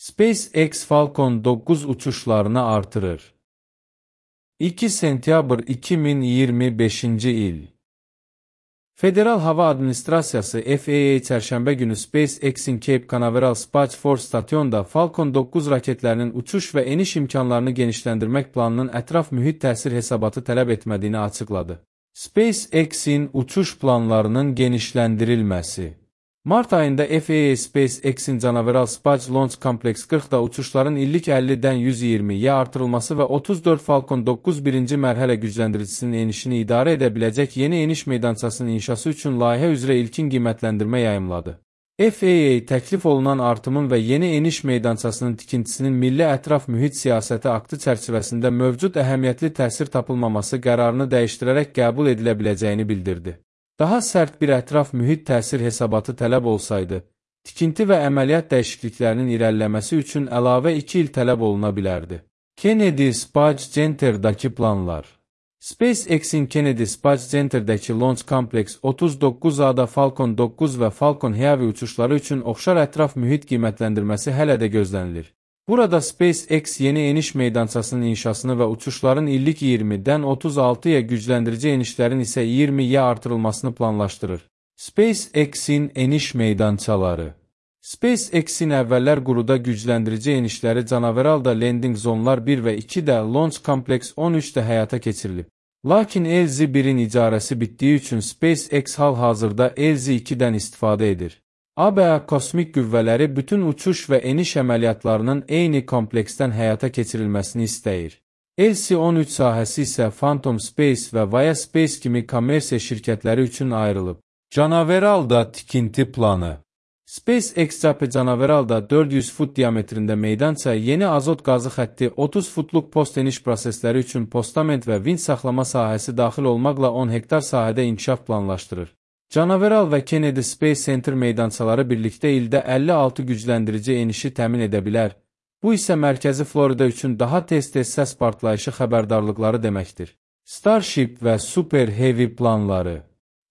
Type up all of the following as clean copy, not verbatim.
SpaceX Falcon 9 uçuşlarını artırır. 2 sentyabr 2025-ci il. Federal Hava Administrasiyası FAA çərşənbə günü SpaceX-in Cape Canaveral Space Force stasyonunda Falcon 9 raketlərinin uçuş və eniş imkanlarını genişləndirmək planının ətraf mühit təsir hesabatı tələb etmədiyini açıqladı. SpaceX-in uçuş planlarının genişləndirilməsi. Mart ayında FAA SpaceX-in Canaveral Space Launch Complex 40-da uçuşların illik 50-dən 120-yə artırılması və 34 Falcon 9 birinci mərhələ gücləndiricisinin enişini idarə edə biləcək yeni eniş meydançasının inşası üçün layihə üzrə ilkin qiymətləndirmə yayımladı. FAA təklif olunan artımın və yeni eniş meydançasının tikintisinin Milli Ətraf Mühit Siyasəti aktı çərçivəsində mövcud əhəmiyyətli təsir tapılmaması qərarını dəyişdirərək qəbul edilə biləcəyini bildirdi. Daha sərt bir ətraf mühit təsir hesabatı tələb olsaydı, tikinti və əməliyyat dəyişikliklərinin irəliləməsi üçün əlavə 2 il tələb oluna bilərdi. Kennedy Space Center'dakı planlar. SpaceX-in Kennedy Space Center'dəki Launch Complex 39A-da Falcon 9 və Falcon Heavy uçuşları üçün oxşar ətraf mühit qiymətləndirməsi hələ də gözlənilir. Burada SpaceX yeni eniş meydançasının inşasını və uçuşların illik 20-dən 36-ya gücləndirici enişlərin isə 20-yə artırılmasını planlaşdırır. SpaceX-in eniş meydançaları. SpaceX-in əvvəllər quruda gücləndirici enişləri Canaveralda Landing Zonlar 1 və 2-də Launch Complex 13-də həyata keçirilib. Lakin LZ-1-in icarəsi bitdiyi üçün SpaceX hal-hazırda LZ-2-dən istifadə edir. ABA kosmik qüvvələri bütün uçuş və eniş əməliyyatlarının eyni kompleksdən həyata keçirilməsini istəyir. LC-13 sahəsi isə Phantom Space və Vaya Space kimi kommersiya şirkətləri üçün ayrılıb. Canaveralda tikinti planı. SpaceX Canaveralda 400 fut diametrində meydança, yeni azot qazı xətti, 30 futluq post eniş prosesləri üçün postament və vinç saxlama sahəsi daxil olmaqla 10 hektar sahədə inkişaf planlaşdırır. Canaveral və Kennedy Space Center meydançaları birlikdə ildə 56 gücləndirici enişi təmin edə bilər. Bu isə mərkəzi Florida üçün daha tez-tez səs partlayışı xəbərdarlıqları deməkdir. Starship və Super Heavy planları.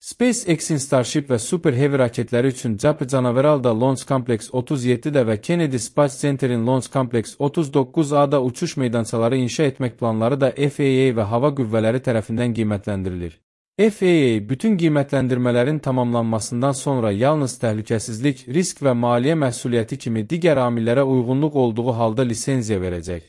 SpaceX-in Starship və Super Heavy raketləri üçün Canaveralda Launch Complex 37-də və Kennedy Space Center'in Launch Complex 39A-da uçuş meydançaları inşa etmək planları da FAA və hava qüvvələri tərəfindən qiymətləndirilir. FAA bütün qiymətləndirmələrin tamamlanmasından sonra yalnız təhlükəsizlik, risk və maliyyə məsuliyyəti kimi digər amillərə uyğunluq olduğu halda lisenziya verəcək.